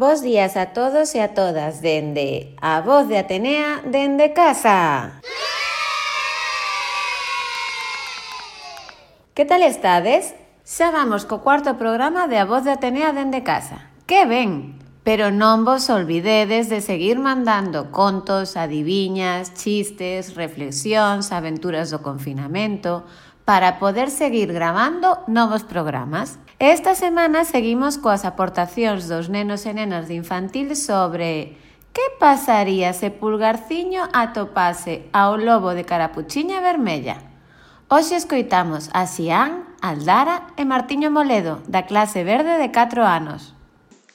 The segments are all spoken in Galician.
Bos días a todos e a todas dende a Voz de Atenea dende casa. Que tal estades? Xa vamos co cuarto programa de A Voz de Atenea dende casa. Que ben! Pero non vos olvidedes de seguir mandando contos, adiviñas, chistes, reflexións, aventuras do confinamento, para poder seguir gravando novos programas. Esta semana seguimos coas aportacións dos nenos e nenas de infantil sobre que pasaría se Pulgarciño atopase ao lobo de carapuchiña vermella. Hoxe escoitamos a Xián, Aldara e Martiño Moledo, da clase verde de 4 anos.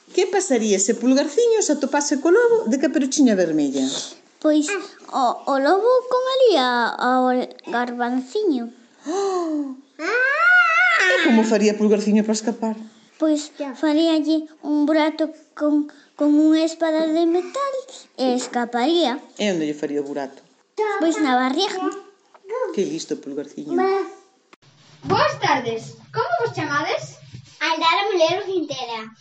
Que pasaría se Pulgarciño se atopase co lobo de caperuchiña vermella? Pois o lobo comería ao garbanciño. E como faría Pulgarciño para escapar? Pois faríalle un burato con unha espada de metal e escaparía. E onde lle faría o burato? Pois na barriga. Que listo, Pulgarciño. Boas tardes, como vos chamades? Aldara Molero Quintela.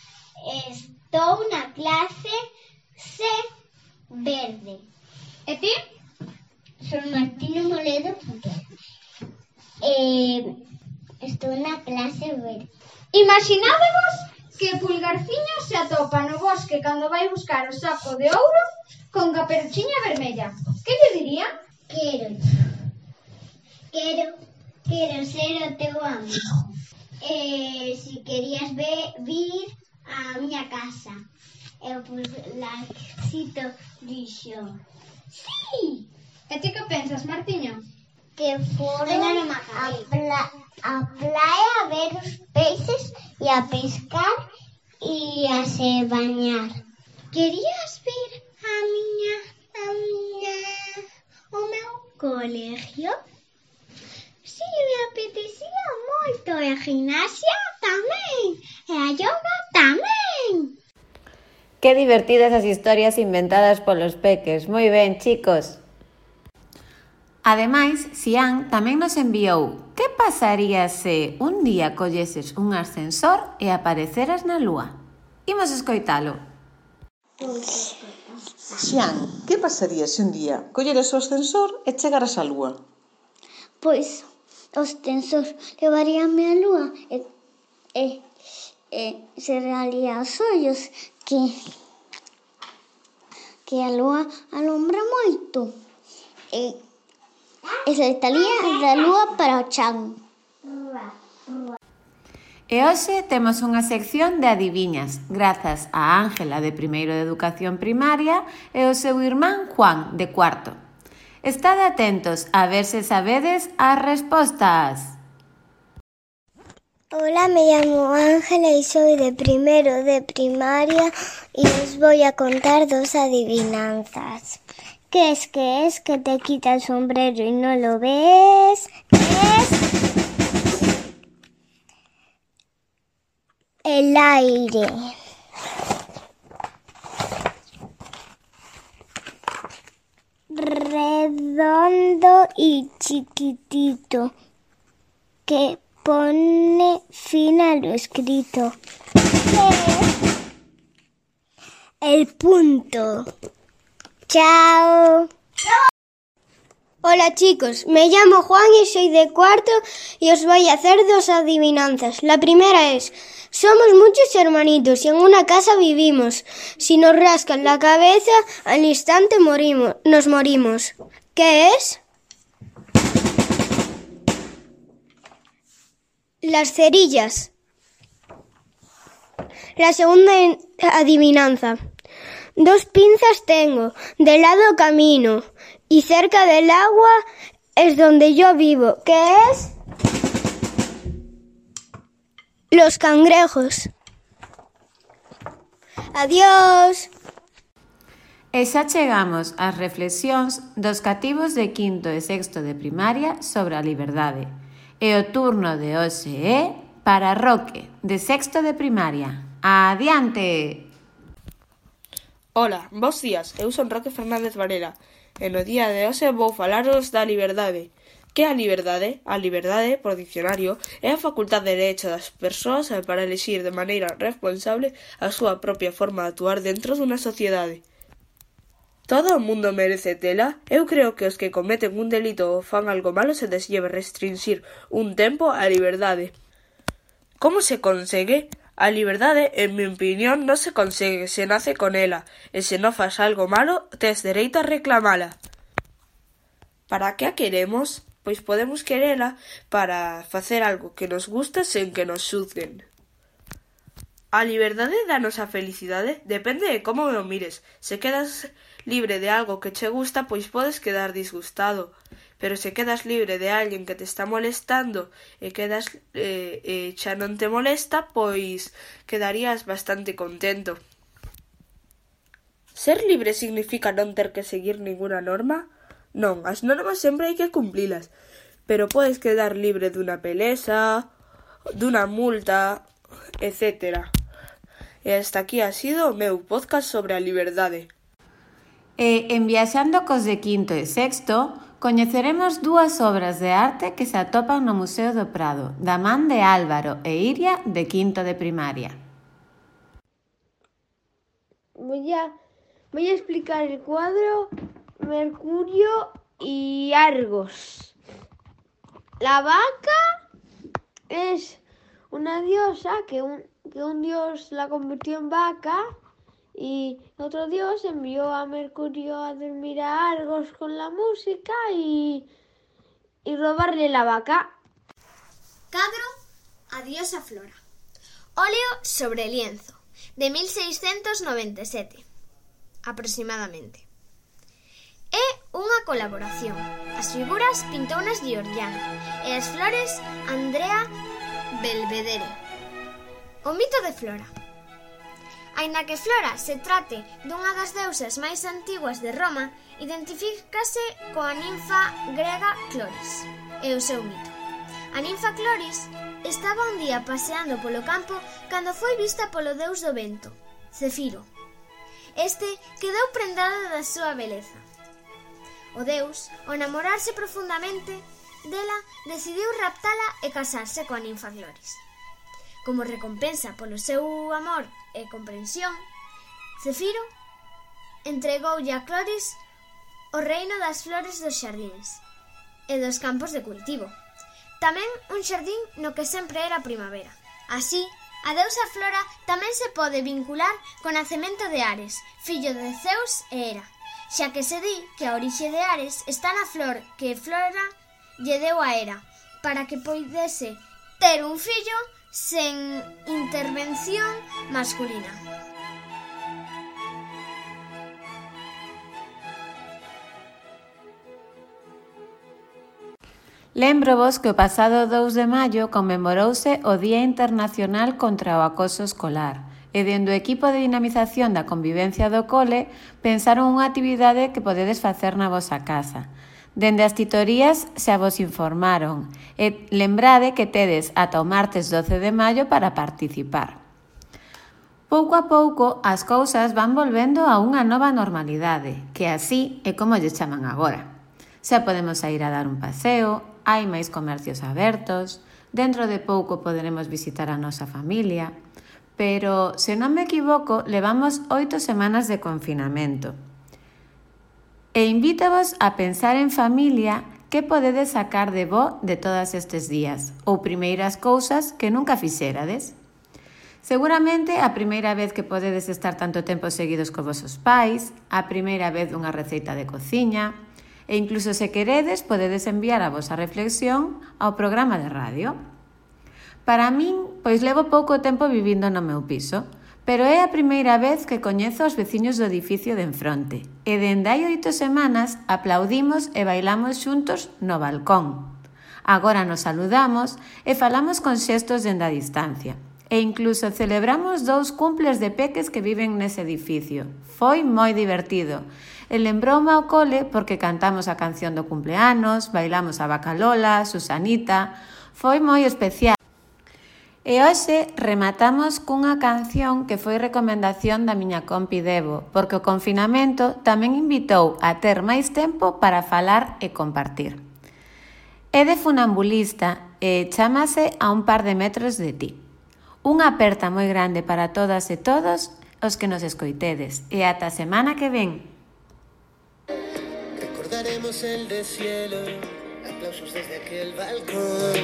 Estou na clase C verde. E ti? Son Martiño Moledo Quintela. Estou na clase verde. Imaginádevos que Pulgarciño se atopa no bosque cando vai buscar o saco de ouro con caperuchiña vermella. Que lle diría? Quero ser o teu amigo. Si querías vir á miña casa. E o Pulgarcito dixo: sí! E ti que pensas, Martiño? Que foron a praia a ver os peixes e a pescar e a se bañar. Querías vir ao meu colegio? Si, me apetecía moito. E a gimnasia tamén. E a yoga tamén. Que divertidas as historias inventadas polos peques. Moi ben, chicos. Ademais, Xián tamén nos enviou que pasaría se un día colleses un ascensor e apareceras na lúa. Imos escoitalo. Xián, que pasaría se un día colleras o ascensor e chegaras á lúa? Pois o ascensor levaríame á lúa e cerraría os ollos que a lúa alumbra moito e saltaría da lúa para o chan. E hoxe temos unha sección de adiviñas, grazas a Ángela de primeiro de Educación Primaria e o seu irmán Juan de cuarto. Estade atentos a ver se sabedes as respostas. Hola, me llamo Ángela y soy de primero de primaria y os voy a contar dos adivinanzas. ¿Qué es que te quita el sombrero y no lo ves? Es el aire. Redondo y chiquitito, que pone fin a lo escrito. El punto. Chao. Hola chicos, me llamo Juan y soy de cuarto y os voy a hacer dos adivinanzas. La primera es: somos muchos hermanitos y en una casa vivimos. Si nos rascan la cabeza, al instante nos morimos. ¿Qué es? Las cerillas. La segunda adivinanza. Dos pinzas tengo, de lado camino, y cerca del agua es donde yo vivo. ¿Qué es? Los cangrejos. Adiós. E xa chegamos ás reflexións dos cativos de quinto e sexto de primaria sobre a liberdade. E o turno de hoxe é para Roque, de sexto de primaria. Adiante! Ola, bos días, eu son Roque Fernández Varela e no día de hoxe vou falaros da liberdade. Que a liberdade? A liberdade, por dicionario, é a facultade de derecho das persoas para elixir de maneira responsable a súa propia forma de actuar dentro dunha sociedade. Todo o mundo merece tela? Eu creo que os que cometen un delito ou fan algo malo se les debe restringir un tempo a liberdade. Como se consegue? A liberdade, en mi opinión, non se consegue, se nace con ela, e se non fas algo malo, tes dereito a reclamala. Para que a queremos? Pois podemos querela para facer algo que nos gusta sen que nos xuzguen. A liberdade danos a felicidade? Depende de como o mires. Se quedas libre de algo que che gusta, pois podes quedar disgustado. Pero se quedas libre de alguén que te está molestando e quedas xa non te molesta, pois quedarías bastante contento. Ser libre significa non ter que seguir ninguna norma? Non, as normas sempre hai que cumplilas, pero podes quedar libre dunha pelesa, dunha multa, etc. E hasta aquí ha sido o meu podcast sobre a liberdade. E en Viaxando cos de quinto e sexto, coñeceremos dúas obras de arte que se atopan no Museo do Prado, da man de Álvaro e Iria de quinto de primaria. Voy a explicar el cuadro Mercurio y Argos. La vaca es una diosa que un dios la convirtió en vaca y otro dios envió a Mercurio a dormir a Argos con la música y robarle la vaca. Cadro a diosa Flora. Óleo sobre lienzo, de 1697, aproximadamente. É unha colaboración. As figuras pintounas Giorgiano e as flores Andrea Belvedere. O mito de Flora. Aínda que Flora se trate dunha das deusas máis antiguas de Roma, identifícase coa ninfa grega Cloris e o seu mito. A ninfa Cloris estaba un día paseando polo campo cando foi vista polo deus do vento, Cefiro. Este quedou prendado da súa beleza. O deus, ao enamorarse profundamente dela, decidiu raptala e casarse coa ninfa Cloris. Como recompensa polo seu amor e comprensión, Cefiro entregoulle a Cloris o reino das flores dos xardíns e dos campos de cultivo. Tamén un xardín no que sempre era primavera. Así, a deusa Flora tamén se pode vincular co nacemento de Ares, fillo de Zeus e Hera, xa que se di que a orixe de Ares está na flor que Flora lle deu a Hera, para que poidese ter un fillo sen intervención masculina. Lembrovos que o pasado 2 de maio conmemorouse o Día Internacional contra o Acoso Escolar e dende o equipo de dinamización da convivencia do cole pensaron unha actividade que podedes facer na vosa casa. Dende as titorías xa vos informaron e lembrade que tedes ata o martes 12 de maio para participar. Pouco a pouco as cousas van volvendo a unha nova normalidade, que así é como lle chaman agora. Xa podemos sair a dar un paseo, hai máis comercios abertos, dentro de pouco poderemos visitar a nosa familia, pero, se non me equivoco, levamos 8 semanas de confinamento. E invítavos a pensar en familia que podedes sacar de bo de todas estes días, ou primeiras cousas que nunca fixerades. Seguramente a primeira vez que podedes estar tanto tempo seguidos co vosos pais, a primeira vez dunha receita de cociña, e incluso se queredes podedes enviar a vosa reflexión ao programa de radio. Para min, pois levo pouco tempo vivindo no meu piso, pero é a primeira vez que coñezo os veciños do edificio de enfronte, e dende hai 8 semanas aplaudimos e bailamos xuntos no balcón. Agora nos saludamos e falamos con xestos dende a distancia, e incluso celebramos 2 cumples de peques que viven nese edificio. Foi moi divertido. E lembroume ao cole porque cantamos a canción do cumpleanos, bailamos a Vaca Lola, Susanita, foi moi especial. E hoxe rematamos cunha canción que foi recomendación da miña compi Debo, porque o confinamento tamén invitou a ter máis tempo para falar e compartir. É de funambulista e chámase a un par de metros de ti. Unha aperta moi grande para todas e todos os que nos escoitedes. E ata a semana que ven. Recordaremos el deshielo, aplausos desde aquel balcón.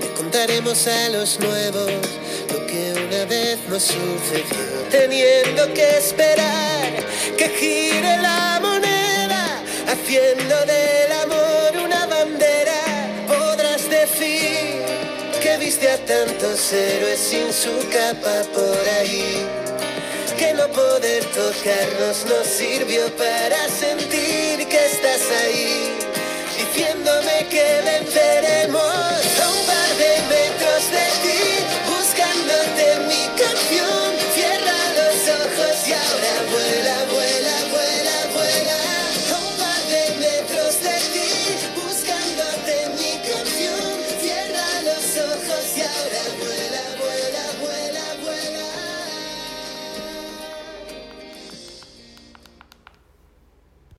Le contaremos a los nuevos lo que una vez nos sucedió. Teniendo que esperar que gire la moneda, haciendo del amor una bandera. Podrás decir que viste a tantos héroes sin su capa por ahí, que no poder tocarnos nos sirvió para sentir que estás ahí, diciéndome que venceremos.